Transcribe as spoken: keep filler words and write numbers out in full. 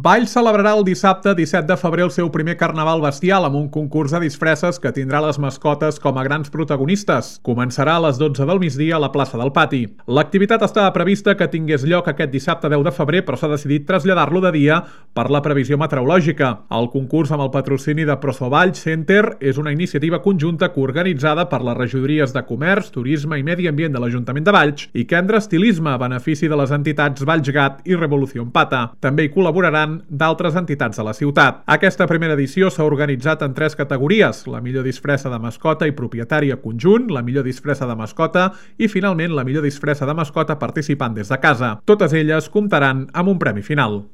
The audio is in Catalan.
Valls celebrarà el dissabte disset de febrer el seu primer carnaval bestial amb un concurs de disfresses que tindrà les mascotes com a grans protagonistes. Començarà a les dotze del migdia a la plaça del Pati. L'activitat estava prevista que tingués lloc aquest dissabte deu de febrer, però s'ha decidit traslladar-lo de dia per la previsió meteorològica. El concurs amb el patrocini de Proso Valls Center és una iniciativa conjunta coorganitzada per les regidories de Comerç, Turisme i Medi Ambient de l'Ajuntament de Valls i Kendra Estilisme a benefici de les entitats Valls Gat i Revolució Pata. També hi col·laboraran d'altres entitats de la ciutat. Aquesta primera edició s'ha organitzat en tres categories: la millor disfressa de mascota i propietària conjunt, la millor disfressa de mascota i, finalment, la millor disfressa de mascota participant des de casa. Totes elles comptaran amb un premi final.